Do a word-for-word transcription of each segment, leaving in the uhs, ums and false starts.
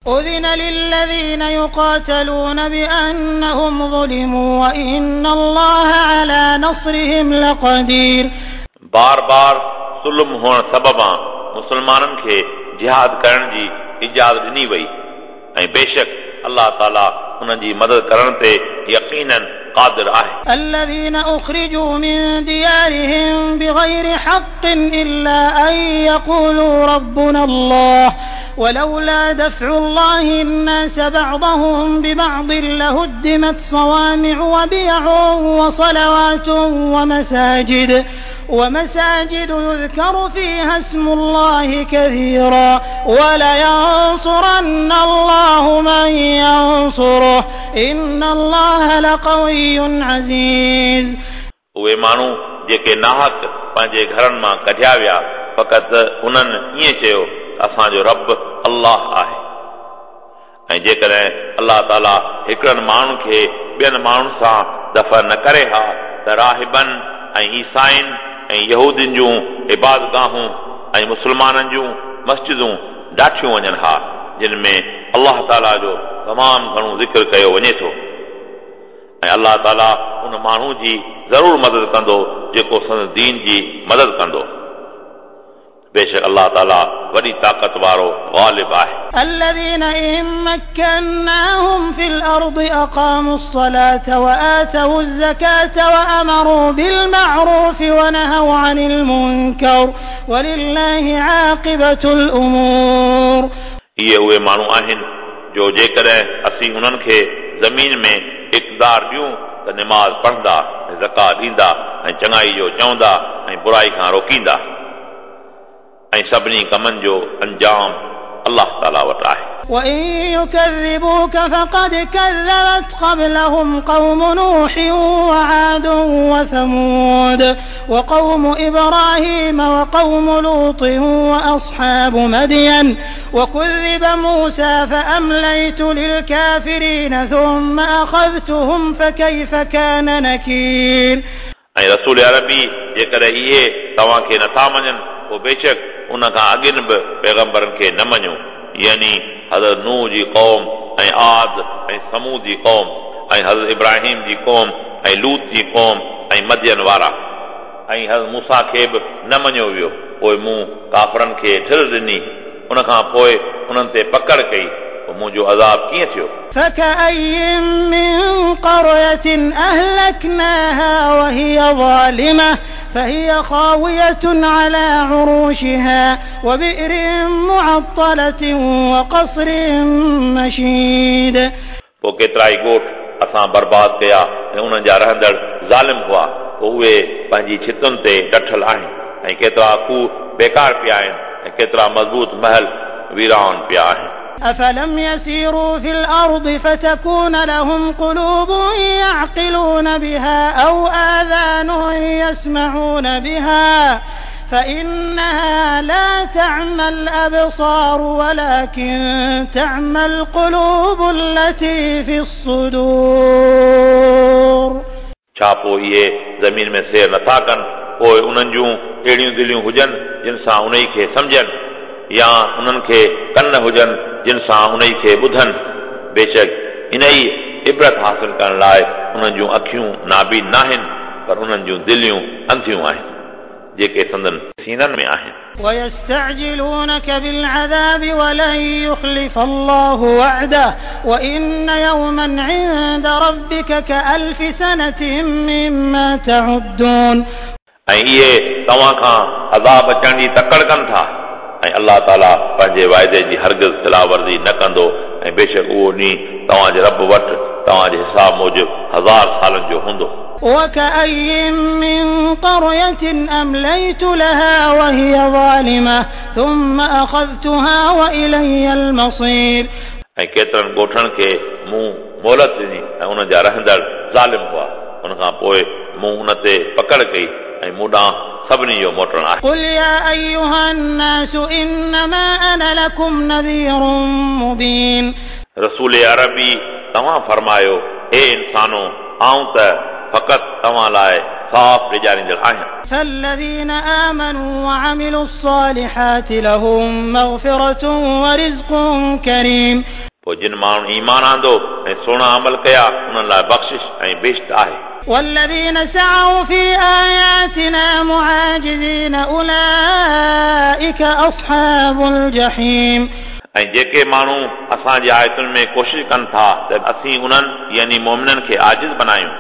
أذن للذين يقاتلون بأنهم ظلموا وإن الله على نصرهم لقدير. बार बार ज़ुल्म हुअण सबबा मुस्लमाननि खे जिहाद करण जी इजाज़त ॾिनी वई ऐं बेशक अलाह ताला उन्हनि जी मदद करण ते यकीनन क़ादिर आहे। الذين أخرجوا من ديارهم بغير حق إلا أن يقولوا ربنا الله ولولا دفع الله الناس بعضهم ببعض لهدمت صوامع وبيع وصلوات ومساجد ومساجد يذكر فيها اسم الله كثيرا ولينصرن الله من ينصره إن الله لقوي عزيز. उहे माण्हू जेके नाहक पंहिंजे घरनि मां कढिया विया फ़क़ति उन्हनि ईअं चयो त असांजो रब अल्लाह आहे ऐं जेकॾहिं अलाह ताला हिकिड़नि माण्हुनि खे ॿियनि माण्हुनि सां दफ़ न करे हा त राहिबनि ऐं ईसाइनि ऐं यहूदियुनि जूं इबादगाहूं ऐं मुस्लमाननि जूं मस्जिदूं ॾाठियूं वञनि हा जिन में अलाह ताला जो तमामु घणो ज़िक्र कयो वञे थो ऐं अलाह ताला उन माण्हू जी ज़रूरु मदद कंदो जेको संदसि दीन जी मदद कंदो। बेशक अलाह ताला वॾी ताक़त वारो ग़ालिब आहे। الذين إن مكناهم في الأرض أقاموا الصلاة وآتوا الزكاة وأمروا بالمعروف ونهوا عن المنكر ولله عاقبة الأمور. इहे उहे माण्हू आहिनि जो जेकॾहिं असीं उन्हनि खे ज़मीन में इक़्तिदार ॾियूं त निमाज़ पढ़ंदा ऐं ज़कात ॾींदा ऐं चङाई जो चवंदा ऐं बुराई खां रोकींदा ऐं सभिनी कमनि जो अंजाम अलाह ताला वटि आहे। وإن يكذبوك فقد كذبت قبلهم قوم نوح وعاد وثمود وقوم إبراهيم وقوم لوط وأصحاب مدين وكذب موسى فأمليت للكافرين ثم أخذتهم فكيف كان نكير. ऐं रसूल अरबी जेकॾहिं इहे तव्हांखे नथा मञनि पोइ बेशक उन खां अॻिन बि पैगम्बरनि खे न मञो, यानी हज़रत नूह जी क़ौम ऐं आद ऐं समूद जी क़ौम ऐं हज़रत इब्राहिम जी क़ौम ऐं लूत जी क़ौम ऐं मदियन वारा ऐं हज़रत मूसा खे बि न मञियो वियो। पोइ मूं काफ़रनि खे ढिल ॾिनी, उन खां पोइ उन्हनि ते पकड़ कई, पोइ मुंहिंजो अज़ाब कीअं थियो? فكأي من قرية أهلكناها وهي ظالمة فهي خاوية على عروشها وبئر معطلة وقصر مشيد. पोइ केतिरा ई ॻोठ असां बर्बाद कया ऐं उन्हनि जा रहंदड़ ज़ालिम हुआ, पोइ उहे पंहिंजी छितुनि ते डठल आहिनि ऐं केतिरा खूह बेकार पिया आहिनि ऐं केतिरा मज़बूत महल वीरान पिया आहिनि। أفلم يسيروا في الأرض فتكون لهم قلوب يعقلون بها أو آذان يسمعون بها فإنها لا تعمى الأبصار ولكن تعمى القلوب التي في الصدور. छा पोइ इहे ज़मीन में सैर नथा कनि पोइ उन्हनि जूं अहिड़ियूं दिलियूं हुजनि जिन सां उन खे सम्झनि या उन्हनि खे कन हुजनि जिन सां उन खे ॿुधनि। बेशक इन ई इबरत हासिल करण लाइ उन्हनि जूं अखियूं नाबीन नाहिनि पर उन्हनि जूं दिलियूं अंधियूं आहिनि जेके संदन सीननि में आहिनि। ويستعجلونك بالعذاب ولن يخلف الله وعده وإن يوما عند ربك كألف سنة مما تعدون. ऐं इहे तव्हां खां अज़ाब अचण जी तकड़ कनि था ऐं अलाह ताला पंहिंजे वाइदे जी हरगिज़ खिलाफ़ वर्ज़ी न कंदो ऐं बेशक उहो ॾींहुं तव्हांजे रब वटि तव्हांजे हिसाब मूजिबि हज़ार सालनि जो हूंदो। وكأي من قرية أمليت لها وهي ظالمة ثم أخذتها وإلي المصير. ऐं केतिरनि ॻोठनि खे मूं मोहलत ॾिनी ऐं उन जा रहंदड़ ज़ालिम हुआ, उन खां पोइ मूं उन ते पकड़ कई ऐं मूं ॾांहुं सभिनी जो मोटणु आहे। قل يا أيها الناس إنما أنا لكم نذير مبين. रसूल अरबी तव्हां फरमायो, हे इंसानो, आउं त फ़क़ति तव्हां लाइ साफ़ ॾिजारींदड़ आहियां। فالذين آمنوا وعملوا الصالحات لهم مغفرة ورزق كريم। पोइ जिन माण्हुनि ईमान आंदो ऐं सुहिणा अमल कया उन्हनि लाइ बख़्शिश ऐं बेश्त आहे। والذين سعوا في آياتنا معاجزين أولئك أصحاب الجحيم। ऐं जेके माण्हू असांजी आयतुनि में कोशिश कनि था त असीं उन्हनि यानी मोमिननि खे आजिज़ बणायूं,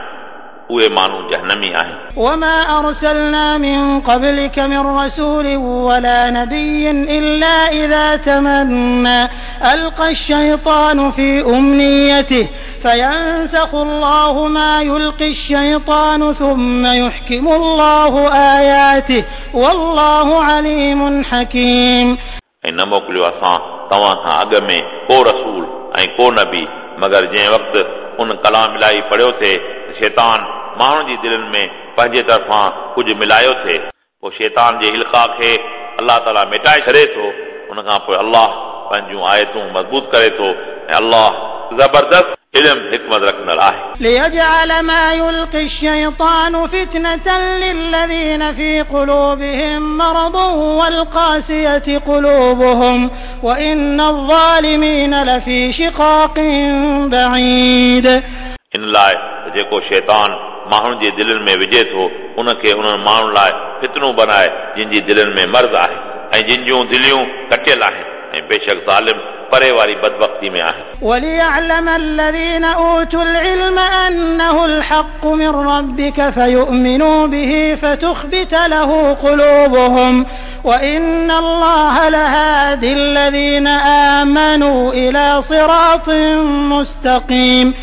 उहे माण्हू जहनमी आहिनि। وما أرسلنا من قبلك من رسول ولا نبي إلا إذا تمنى ألقى الشيطان في أمنيته فينسخ الله ما يلقي الشيطان ثم يحكم الله آياته والله عليم حكيم। ऐं न मोकिलियो असां तव्हां खां अॻु में को रसूल ऐं को नबी, मगर जंहिं वक़्तु उन कलाम इलाही पढ़ियो थिए त शैतान माण्हुनि जी दिलनि में पंहिंजे तरफ़ां कुझु मिलायो थिए, पोइ शैतान जे इल्का खे अलाह ताला मिटाए छॾे थो। उन खां पोइ अलाह पंहिंजूं आयतूं मज़बूत करे थो ऐं अलाह ज़बरदस्त इल्म हिकमत रखंदड़ आहे। ليجعل ما يلقي الشيطان فتنة للذين في قلوبهم مرض والقاسية قلوبهم وإن الظالمين لفي شقاق بعيد। इन लाइ जेको शैतान माण्हुनि जे दिलनि में विझे थो उनखे उन्हनि माण्हुनि लाइ फितनो बनाए जिन जी दिलनि में मर्ज़ आहे ऐं जिन जूं दिलियूं कटियल आहिनि, ऐं बेशक ज़ालिम परे वारी बदबख़्ती में आहिनि। وليعلم الذين أوتوا العلم أنه الحق من ربك فيؤمنوا به فتخبت له قلوبهم وإن الله لهادي الذين آمنوا إلى صراط مستقيم।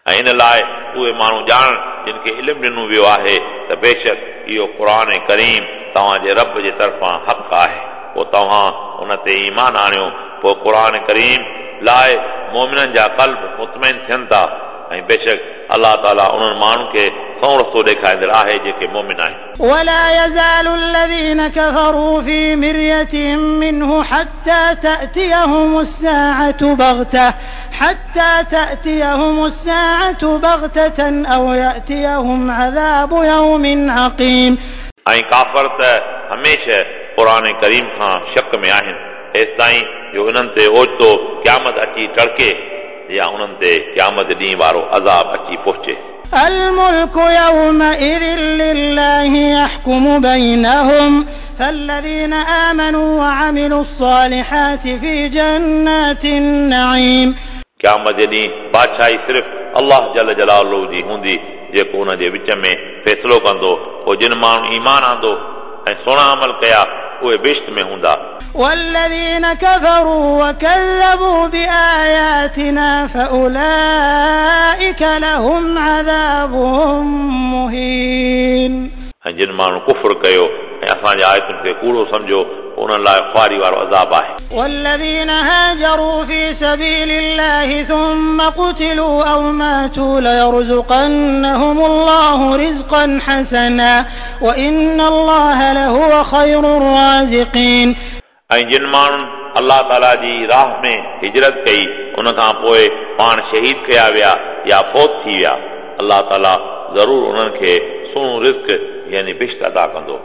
ऐं इन लाइ उहे माण्हू ॼाणनि जिन खे इल्मु ॾिनो वियो आहे त बेशक इहो क़ुर करीम तव्हांजे रब जे तरफ़ां हक़ आहे, पोइ तव्हां उन ते ईमान आणियो। पोइ क़ुर करीम लाइ मोमिननि जा क़ल्ब मुतमैन थियनि था, ऐं बेशक अलाह ताला उन्हनि माण्हुनि खे सओं रस्तो ॾेखारींदड़ आहे जेके मोमिन आहिनि। ولا يزال الذين كفروا في مرية منه حتى تأتيهم الساعة بغتة حتى تأتيهم الساعة بغتة أو يأتيهم عذاب يوم عقيم। ऐं काफ़र त हमेशह क़ुर करीम खां शक में आहिनि, तेसिताईं जो इन्हनि ते ओचितो क़यामत अची टड़के या उन्हनि ते क़यामत ॾींहुं वारो अज़ाब अची पहुचे। الملك يومئذ لله يحكم بينهم فالذين آمنوا وعملوا الصالحات في جنات النعيم। क़यामत जे ॾींहुं बादशाही सिर्फ़ अलाह जल जलालहू जी हूंदी जेको उन जे विच में फ़ैसिलो कंदो। पोइ जिन माण्हुनि ईमान आंदो ऐं सुहिणा अमल कया उहे बेश्त में हूंदा। والذين كفروا وكذبوا بآياتنا فأولئك لهم عذاب مهين। ऐं जिन माण्हुनि कुफ्र कयो ऐं असांजे आयतुनि खे कूड़ो सम्झो उन्हनि लाइ ख़ुआरी वारो अज़ाब आहे। والذين هاجروا في سبيل الله ثم قتلوا أو ماتوا ليرزقنهم الله رزقا حسنا وإن الله لهو خير الرازقين। ऐं जिन माण्हुनि अलाह ताला जी राह में हिजरत कई उन खां पोइ पाण शहीद कया विया या फौत थी विया, अलाह ताला ज़रूरु उन्हनि खे सुहिणो रिज़्क यानी बिश्त अदा कंदो,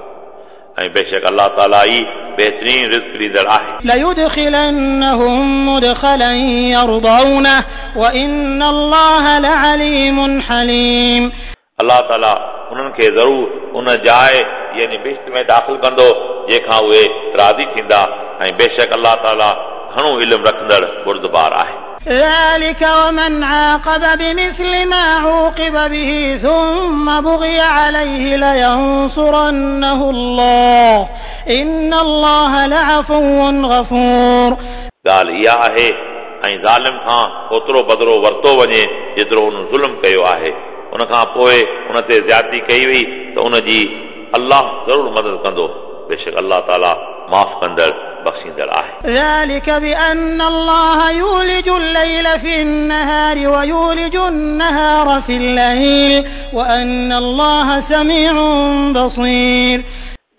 ऐं बेशक अलाह ताला ई बहितरीन रिज़्क ॾींदड़ आहे। ليدخلنهم مدخلا يرضونه وإن الله لعليم حليم। अलाह ताला उन्हनि खे ज़रूरु उन जाइ यानी बिश्त में दाख़िल कंदो जंहिंखां उहे राज़ी थींदा, ऐं बेशक अलाह ताला घणो इल्मु रखंदड़ बुर्दबार आहे। ذلك ومن عاقب بمثل ما عوقب به ثم بغي عليه لينصرنه الله إن الله لعفو غفور। ॻाल्हि इहा आहे ऐं ज़ालिम खां ओतिरो बदिलो वरितो वञे जेतिरो उन ज़ुल्म कयो आहे, उन खां पोइ उन ते ज़्यादती कई वई त उन जी अलाह ज़रूरु मदद कंदो, बेशक अलाह ताला माफ़ कंदड़ बख़्शींदड़ आहे। ذلك بأن الله يولج الليل في النهار ويولج النهار في الليل وأن الله سميع بصير।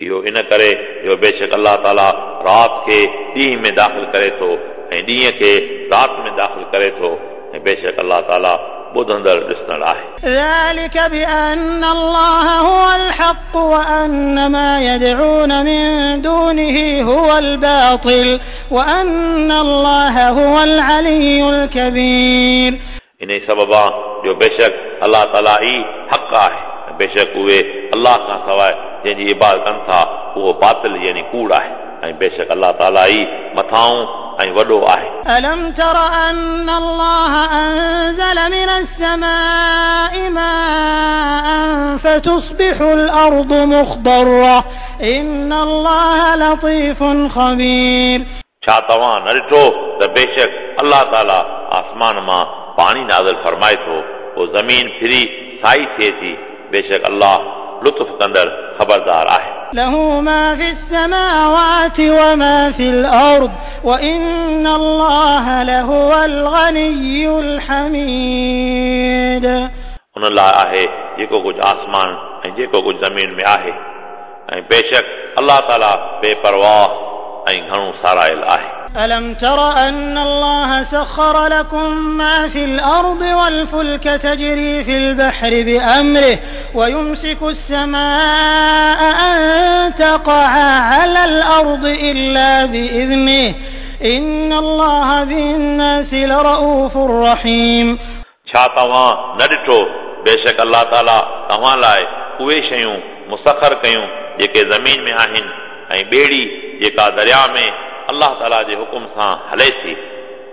इहो इन करे जो बेशक अलाह ताला राति खे ॾींहं में दाख़िल करे थो ऐं ॾींहं खे राति में दाख़िल करे थो, ऐं बेशक अलाह ताला ॿुधंदड़ ॾिसंदड़ आहे। ذلك بأن الله هو الحق وأن ما يدعون من دونه هو الباطل وأن الله هو العلي الكبير. इन्ही सबबा जो बेशक अल्लाह ताला ई हक़ आहे, बेशक उहे अल्लाह खां सवाइ जंहिंजी इबादत कनि था उहो बातिल यानी कूड़ आहे, ऐं बेशक अल्लाह ताला ई मथाऊं ऐं वॾो आहे। ألم تر أن الله أنزل من السماء ماء فتصبح الأرض مخضرة إن الله لطيف خبير. छा तव्हां न ॾिठो त बेशक अल्लाह ताला आसमान मां पाणी नाज़िल फरमाए थो, पोइ ज़मीन फिरी साई थिए थी, बेशक अल्लाह लुत्फ़ कंदड़ ख़बरदार आहे। له ما في السماوات وما في الأرض وإن الله لهو الغني الحميد. उन लाइ आहे जेको कुझु आसमान ऐं जेको कुझु ज़मीन में आहे, ऐं बेशक अल्लाह ताला बेपरवाह ऐं घणो सारायल आहे। ألم تر أن الله سخر لكم ما في الأرض والفلك تجري في البحر بأمره ويمسك السماء أن تقع على الأرض إلا بإذنه إن الله بالناس لرؤوف رحيم. छा तव्हां न ॾिठो बेशक अल्लाह ताला तव्हां लाइ उहे शयूं मुसखर कयूं जेके ज़मीन में आहिनि, ऐं ॿेड़ी जेका दरिया में अल्लाह ताला जे हुकुम सां हले थी,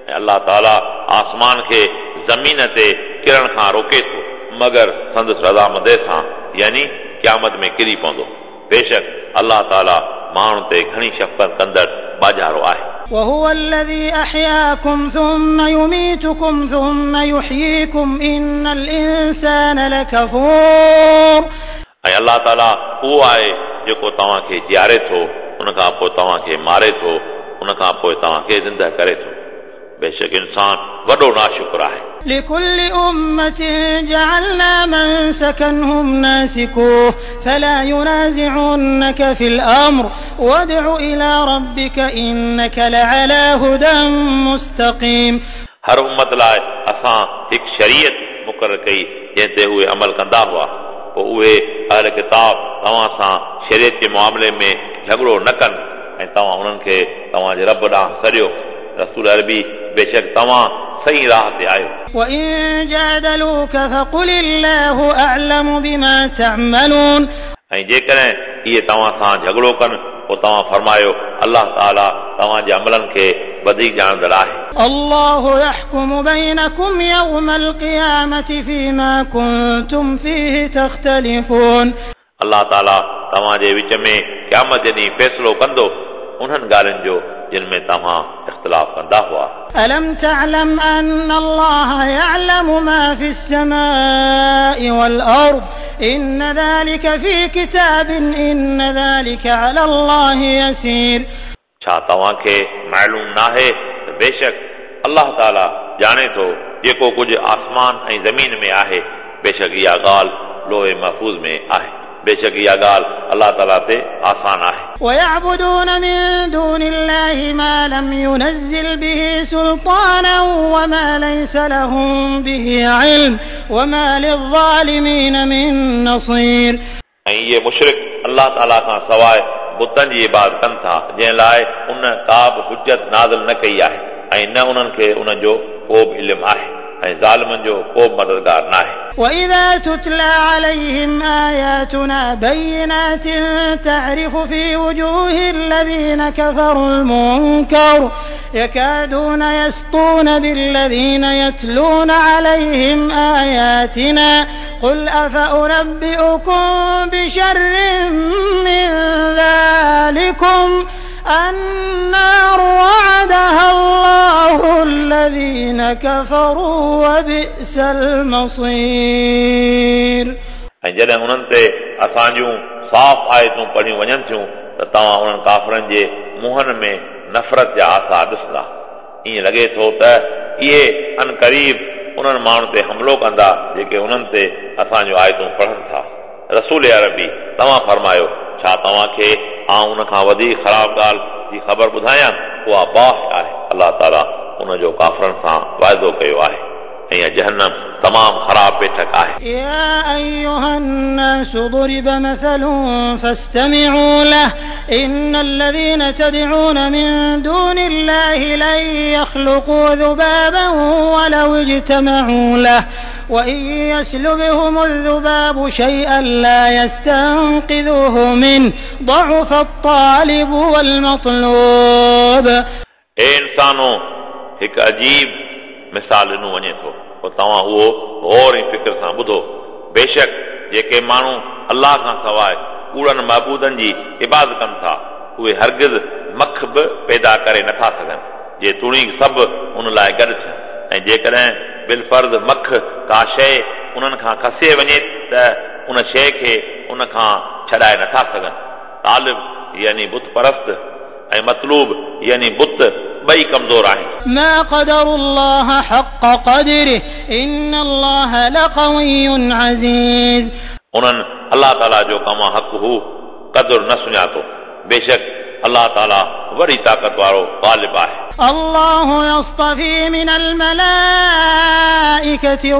ऐं अल्लाह ताला आसमान खे ज़मीन ते किरण खां रोके थो मगर संदसि रज़ामंदी सां, यानी क़यामत में किरी पवंदो। बेशक अल्लाह ताला माण्हुनि ते घणी शफ़क़त कंदड़ बाजारो आहे। وهو الذي أحياكم ثم يميتكم ثم يحييكم إن الإنسان لكفور. ऐं अल्लाह ताला उहो आहे जेको तव्हांखे जीआरे थो, उन खां पोइ तव्हांखे मारे थो, उन खां पोइ तव्हांखे ज़िंदा करे थो। बेशक इंसान वॾो नाशुक्र आहे। لكل أمة جعلنا منسكا هم ناسكوه فلا ينازعنك في الأمر وادع إلى ربك إنك لعلى هدى مستقيم. हर उम्मत लाइ असां हिकु शरीयत मुक़ररु कई जंहिं ते उहे अमल कंदा हुआ, पोइ उहे अहल किताब तव्हां सां शरीयत जे मामले में झगड़ो न कनि ऐं तव्हां उन्हनि खे तव्हांजे रब ॾांहुं सॾियो। रसूल अरबी बेशक तव्हां सही राह ते आहियो। وإن جادلوك فقل الله أعلم بما تعملون. ऐं जेकॾहिं इहे तव्हां सां झगड़ो कनि पोइ तव्हां फरमायो अल्लाह ताला तव्हांजे अमलनि खे वधीक ॼाणंदड़ आहे। الله يحكم بينكم يوم القيامة فيما كنتم فيه تختلفون. अल्लाह ताला तव्हांजे विच में क़यामत जे ॾींहुं फ़ैसिलो कंदो उन्हनि ॻाल्हियुनि जो जिन में तव्हां इख़्तिलाफ़ कंदा हुआ। ألم تعلم أن الله يعلم ما في السماء والأرض إن ذلك في كتاب إن ذلك على الله يسير. छा तव्हांखे मालूम नाहे त बेशक अल्लाह ताला ॼाणे थो जेको कुझु आसमान ऐं ज़मीन में आहे, बेशक इहा ॻाल्हि लोहे महफ़ूज़ में आहे, बेशक इहा ॻाल्हि अल्लाह ताला ते आसान आहे। ويعبدون من دون الله ما لم ينزل به سلطانا وما ليس لهم به علم وما للظالمين من نصير. ऐं इहे मुशरिक अल्लाह ताला खां सवाइ बुतनि जी इबादत कनि था जंहिं लाइ उन का बि हुजत नाज़िल न कई आहे ऐं न उन्हनि खे उन जो को बि इल्मु आहे ऐं ज़ालिमनि जो को बि मददगार न आहे। وإذا تتلى عليهم آياتنا بينات تعرف في وجوه الذين كفروا المنكر يكادون يسطون بالذين يتلون عليهم آياتنا قل أفأنبئكم بشر من ذلكم النار وعدها الله الذين كفروا وبئس المصير. ऐं जॾहिं उन्हनि ते असांजूं साफ़ आयतूं पढ़ियूं वञनि थियूं त तव्हां उन्हनि काफ़रनि जे मुंहनि में नफ़रत जा आसार ॾिसंदा। ईअं लॻे थो त इहे अनक़रीब उन्हनि माण्हुनि ते हमलो कंदा जेके उन्हनि ते असांजूं आयतूं पढ़नि था। रसूल अरबी तव्हां फरमायो छा तव्हांखे आउं उन खां वधीक ख़राब ॻाल्हि जी ख़बर ॿुधायां? उहा बाहि आहे। अल्लाह ताला उन जो काफ़रनि सां वाइदो कयो आहे ऐं इहा जहन्नम तमामु ख़राब बैठक आहे। يا أيها الناس ضرب مثل فاستمعوا له إن الذين تدعون من دون الله لن يخلقوا ذبابا ولو اجتمعوا له وإن يسلبهم الذباب شيئا لا يستنقذوه منه ضعف الطالب والمطلوب. ए इंसानो, हिकु अजीब मिसाल ॾिनो वञे थो, पोइ तव्हां उहो गौर ऐं फ़िक्र सां ॿुधो। बेशक जेके माण्हू अल्लाह खां सवाइ कूड़नि महबूदनि जी इबादत कनि था, उहे हरगिज़ मख बि पैदा करे नथा सघनि, जेतोणीक सभु उन लाइ गॾु थियनि। ऐं जेकॾहिं बिलफर्ज़ मख का शइ उन्हनि खां खसे वञे त उन शइ खे उन खां छॾाए नथा सघनि। तालिब यानी बुत परस्त ऐं मतलूब यानी बुत ॿई कमज़ोर आहिनि। ما قدروا الله حق قدره إن الله لقوي عزيز. उन्हनि अल्लाह ताला जो कमा हक़ हू क़दुरु न सुञातो। बेशक अल्लाह ताला वॾी ताक़त वारो ग़ालिब आहे। الله يصطفي من الملائكة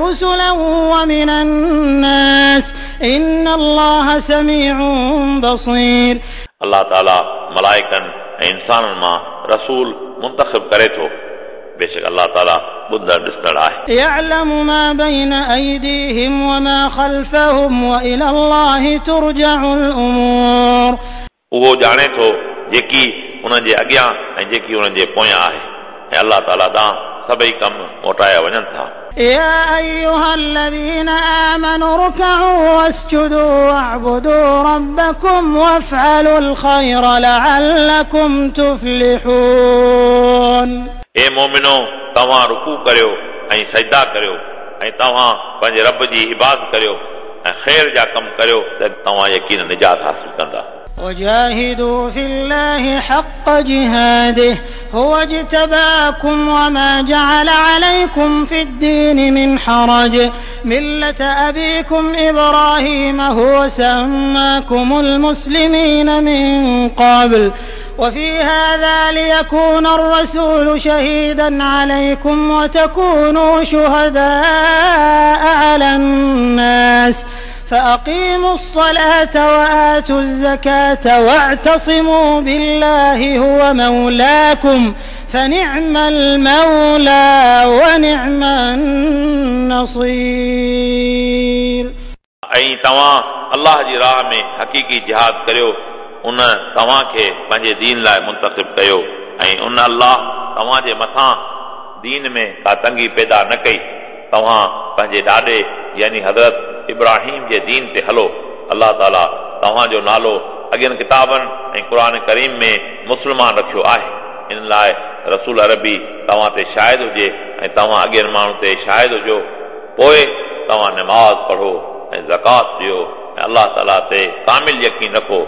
رسلا ومن الناس إن الله سميع بصير. अल्लाह ताला मलाइकनि ऐं इंसाननि मां रसूल मुंतख़िब करे थो। बेशक अल्लाह ताला ॿुधंदड़ ॾिसंदड़ आहे। يعلم ما بين أيديهم وما خلفهم وإلى الله ترجع الأمور. उहो ॼाणे थो जेकी उन्हनि जे अॻियां ऐं जेकी उन्हनि जे पोयां आहे, ऐं अल्लाह ताला ॾांहुं सभई कम मोटाया वञनि था। يا أيها الذين آمنوا اركعوا واسجدوا واعبدوا ربكم وافعلوا الخير لعلكم تفلحون. ए मोमिनो, तव्हां रुकू करियो ऐं सजदा करियो ऐं तव्हां पंहिंजे रब जी इबादत करियो ऐं ख़ैर जा कम करियो त तव्हां यकीन निजात हासिल कंदा। وجاهدوا في الله حق جهاده هو اجتباكم وما جعل عليكم في الدين من حرج ملة أبيكم إبراهيم هو سماكم المسلمين من قبل وفي هذا ليكون الرسول شهيدا عليكم وتكونوا شهداء على الناس فأقيموا الصلاة وآتوا الزكاة واعتصموا بالله هو مولاكم فنعم المولى ونعم النصير. ऐं तव्हां अल्लाह जी राह में हक़ीक़ी जिहाद करियो, उन तव्हांखे पंहिंजे दीन लाइ मुंतख़िब कयो ऐं उन अल्लाह तव्हांजे मथां दीन में का तंगी पैदा न कई। तव्हां पंहिंजे ॾाॾे यानी हज़रत इब्राहिम जे दीन ते हलो। अल्लाह ताला तव्हांजो नालो अॻियनि किताबनि ऐं क़ुर करीम में मुस्लमान रखियो आहे। इन लाइ रसूल अरबी तव्हां ते शाहिद हुजे ऐं तव्हां अॻियनि माण्हुनि ते शाहिद हुजो। पोइ तव्हां नमाज़ पढ़ो ऐं ज़कात ॾियो ऐं अल्लाह ताला ते कामिल यकीन रखो।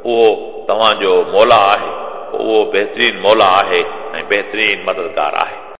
उहो तव्हांजो मौला आहे, उहो बहितरीन मौला आहे ऐं बहितरीन मददगार आहे।